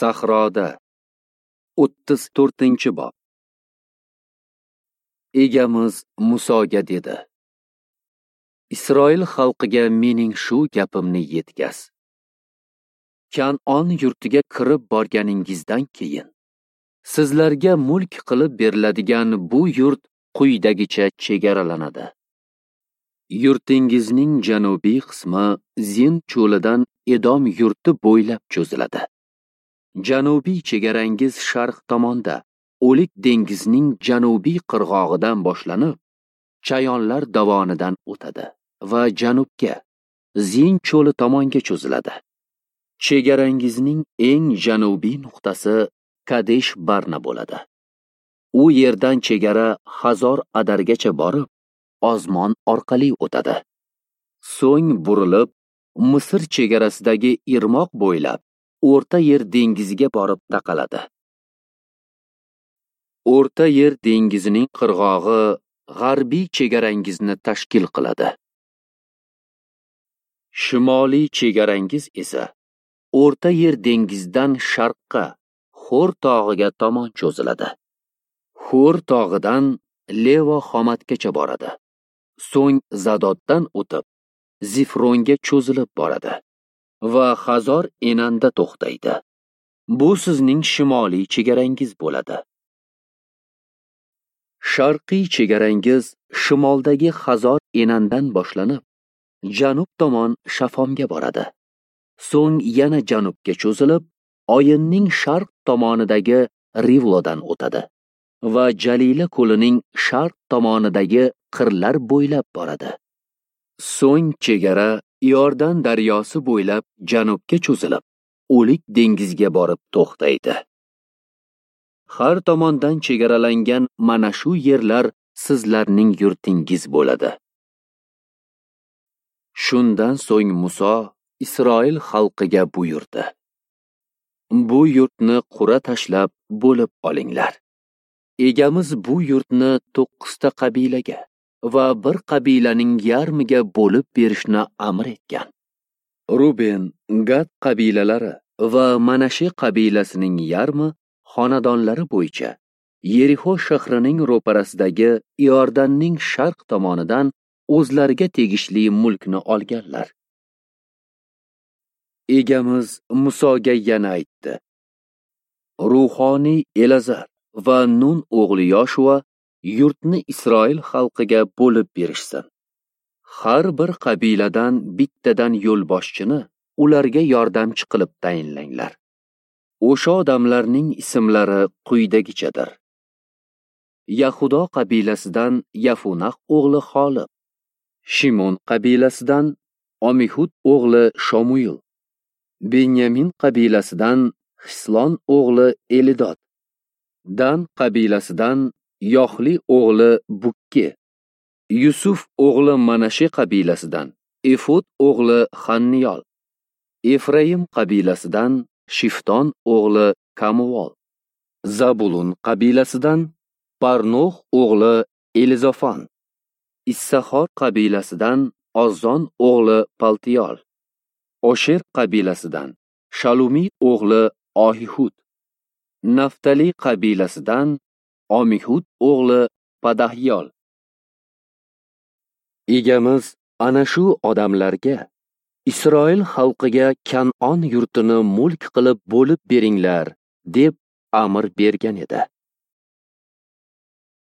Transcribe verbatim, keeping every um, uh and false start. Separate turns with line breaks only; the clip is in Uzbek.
Sahroda o'ttiz to'rtinchi bob. Egamiz Musoga dedi: Isroil xalqiga mening shu gapimni yetkaz. Kan'on yurtiga kirib borganingizdan keyin sizlarga mulk qilib beriladigan bu yurt quyidagicha chegaralanadi. Yurtingizning janubiy qismi Zin cho'lidan Edom yurti bo'ylab cho'ziladi. Janubiy chegarangiz sharq tomonda O'lik dengizining janubiy qirg'og'idan boshlanib, Chayonlar dovonidan o'tadi va janubga, Zin cho'li tomonga cho'ziladi. Chegarangizning eng janubiy nuqtasi Kadesh Barna bo'ladi. U yerdan chegara Hazor Adargacha borib, Ozmon orqali o'tadi. So'ng burilib, Misr chegarasidagi irmoq bo'ylab O'rta Yer dengiziga borib taqaladi. O'rta Yer dengizining qirg'og'i g'arbiy chegarangizni tashkil qiladi. Shimoliy chegarangiz esa O'rta Yer dengizidan sharqqa, Xo'r tog'iga tomon cho'ziladi. Xo'r tog'idan Levo Xomatgacha boradi. So'ng Zadoddan o'tib, Zifronga cho'zilib boradi va Hazor Enanda to'xtaydi. Bu sizning shimoliy chegarangiz bo'ladi. Sharqiy chegarangiz shimoldagi Hazor Enandan boshlanib, janub tomon Shafomga boradi. So'ng yana janubga cho'zilib, Oyinning sharq tomonidagi Rivlodan o'tadi va Jalila ko'lining sharq tomonidagi qirlar bo'ylab boradi. So'ng chegara Iordan daryosi bo'ylab janubga cho'zilib, O'lik dengiziga borib to'xtaydi. Har tomondan chegaralangan mana shu yerlar sizlarning yurtingiz bo'ladi. Shundan so'ng Muso Isroil xalqiga buyurdi: Bu yurtni qura tashlab bo'lib olinglar. Egamiz bu yurtni to'qqizta qabilaga va bir qabilaning yarmiga bo'lib berishni amr etgan. Ruben, Gad qabilalari va Manashe qabilasining yarmi xonadonlari bo'yicha Yerixo shahrining ro'parasidagi Iordanning sharq tomonidan o'zlariga tegishli mulkni olganlar. Egamiz Musoga yana aytdi: Ruhoniy Elazar va Nun o'g'li Yoshua yurtni Isroil xalqiga bo'lib berishsin. Har bir qabiladan bittadan yo'lboshchini ularga yordamchi qilib tayinlanglar. O'sha odamlarning ismlari quyidagichadir. Yahudo qabilasidan Yafunah o'g'li Xolib, Shimon qabilasidan Omihud o'g'li Shomuil, Benyamin qabilasidan Hislon o'g'li Elidod, Dan qabilasidan Yohli o'g'li Bukki, Yusuf o'g'li Manashe qabilasidan Efod o'g'li Xanniyol, Efraim qabilasidan Shifton o'g'li Kamuvol, Zabulun qabilasidan Parnoh o'g'li Elizofon, Issahor qabilasidan Ozzon o'g'li Paltiyol, Osher qabilasidan Shalumiy o'g'li Ohihud, Naftali qabilasidan Omihud o'g'li Padahyol. Egamiz ana shu odamlarga Isroil xalqiga Kan'on yurtini mulk qilib bo'lib beringlar deb amr bergan edi.